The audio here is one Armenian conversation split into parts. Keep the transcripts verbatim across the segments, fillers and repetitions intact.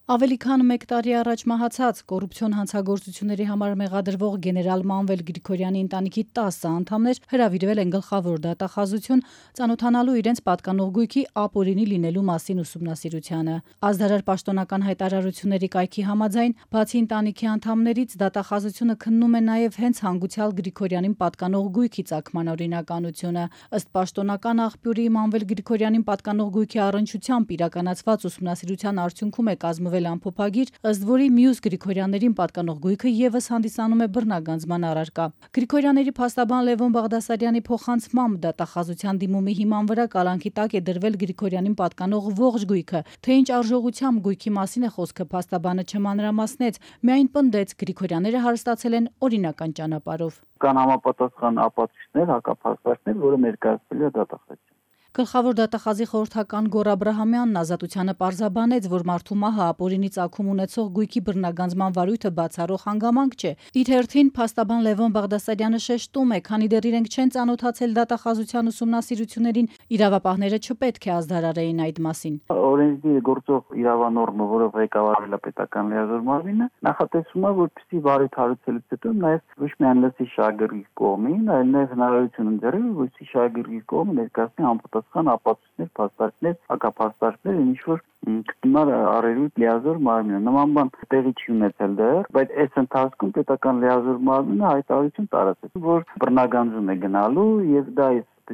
Ավելի քան մեկ տարի առաջ մահացած կոռուպցիոն հանցագործությունների համար մեղադրվող գեներալ Մանվել Գրիգորյանի ընտանիքի տասը անդամներ հրավիրվել են գլխավոր դատախազություն ծանոթանալու իրենց պատկանող գույքի ապօրինի լինելու մասին ուսումնասիրությանը։ Ազդարար պաշտոնական հայտարարությունների կայքի համաձայն, բացի ընտանիքի անդամներից, դատախազությունը քննում է նաև հենց հանգուցյալ Գրիգորյանին պատկանող գույքի ծագման օրինականությունը։ Ըստ պաշտոնական աղբյուրի, Մանվել Գրիգորյանին պատկանող գույքի առնչությամբ իրականացված ուսումնասիրության արդյունքում է կազմվել ամփոփագիր, ըստ որի մյուս Գրիգորյաններին պատկանող գույքը ևս հանդիսանում է բռնագանձման առարկա։ Գրիգորյանների փաստաբան Լևոն Բաղդասարյանի փոխանցմամբ դատախազության դիմումի հիման վրա կալանքի տակ է դրվել Գրիգորյանին պատկանող ողջ գույքը, թե ինչ արժողությամբ գույքի մասին է խոսքը փաստաբանը չմանրամասնեց, միայն պնդեց Գրիգորյանները հարստացել են օրինական ճանապարհով։ Կան համապատասխան ապացույցներ, հակափաստարկներ, որը ներկայացվել է դատախազին։ Գլխավոր դատախազի խորհրդական Գոռ Աբրահամյանն Ազատությանը պարզաբանեց, որ մարդու մահը ապօրինի ծագում ունեցող գույքի բռնագանձման վարույթը բացառող հանգամանք չէ։ Իր հերթին փաստաբան Լևոն Բաղդասարյանը շեշտում է, քանի դեռ իրենք չեն ծանոթացել դատախազության ուսումնասիրություններին, իրավապահները չպետք է ազդարարեին այդ մասին։ Օրենսդիր գործող իրավանորմը, որով ղեկավարվել է պետական լիազոր մարմինը, նախատեսում է, որպեսզի վարույթ հարուցելուց հետո նաև ոչ միայն լսի շահագրգիռ կողմին, այլ նաև հնարավորություն ընձեռի, որպեսզի շահագրգիռ կողմը ներկայացնի համապատասխան ապացույցներ, փաստարկներ, հակափաստարկներ, ինչ որ գտնար առերուտ լիազոր մարմինը։ Նման բան տեղի չի ունեցել դեռ, բայց այս ընթացքում պետական լիազոր մարմինը հայտարարություն տարածեց, որ բռնագանձում է գնալու եւ դա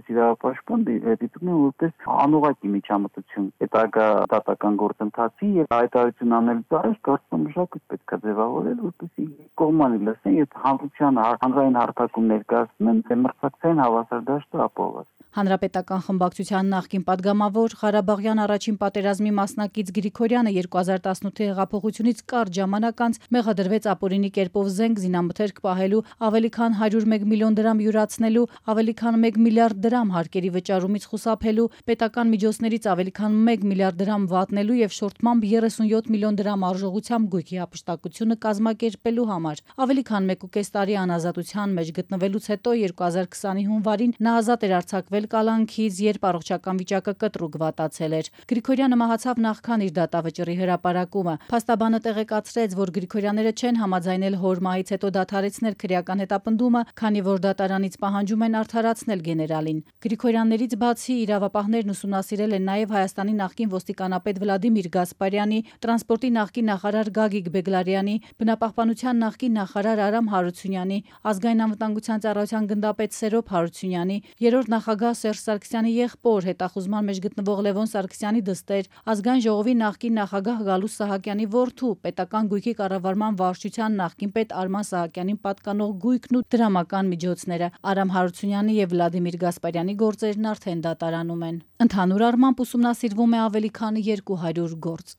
իրավապաշտպան դիտում է որպես անուղղակի միջամտություն հետագա դատական գործընթացի եւ հայտարարություն անելուց առաջ կարծում եմ մշակույթ պետք է ձևավորել, որպեսզի կողմանի լսեն եւ հանրության հանրային հարթակում ներկայացնեն մրցակցային հավասար դաշտը ապահովված։ Հանրապետական խմբակցության նախկին падգամավոր Ղարաբաղյան առաջին պատերազմի մասնակից Գրիգորյանը երկու հազար տասնութի հեղափոխությունից կարճ ժամանակ անց մեղադրվեց ապօրինի կերպով զենք զինամթերք պահելու, ավելի քան հարյուր մեկ միլիոն դրամ յուրացնելու, ավելի քան մեկ միլիարդ դրամ հարկերի վճարումից խուսափելու, պետական միջոցներից ավելի քան մեկ միլիարդ դրամ վատնելու եւ շորթմամբ երեսունյոթ միլիոն դրամ արժողությամբ գույքի հափշտակությունը կազմակերպելու համար։ Ավելի քան մեկ ու կես տարի անազատության մեջ գտնվելուց հետո երկու հազար քսանի հունվարին նա ազատ էր արձակվել կալանքից, երբ առողջական վիճակը կտրուկ վատացել էր։ Գրիգորյանը մահացավ նախքան իր դատավճռի հրապարակումը։ Փաստաբանը տեղեկացրեց, որ Գրիգորյանները չեն համաձայնել հոր մահից հետո դադարեցնել քրեական հետապնդումը, քանի որ դատարանից պահանջում են արդարացնել գեներալին։ Գրիգորյաններից բացի իրավապահներն ուսումնասիրել են նաև Հայաստանի նախկին ոստիկանապետ Վլադիմիր Գասպարյանի, տրանսպորտի նախկին նախարար Գագիկ Բեգլարյանի, բնապահպանության նախկին նախարար Արամ Հարությունյանի, ազգային անվտանգության ծառայության գնդապետ Սերոբ Հարությունյանի, երրորդ նախագահ Սերժ Սարգսյանի եղբոր, հետախուզման մեջ գտնվող Լևոն Սարգսյանի դստեր, ազգային ժողովի նախկին նախագահ Գալուստ Սահակյանի որդու, պետական գույքի կառավարման վարչության նախկին պետ Արման Սահակյանին պատկանող գույքն ու դրամական միջոցները։ Արամ Հարությունյանի եւ Վլադիմիր Գասպարյանի գործերն արդեն դատարանում են։ Ընդհանուր առմամբ ուսումնասիրվում է ավելի քան երկու հարյուր գործ։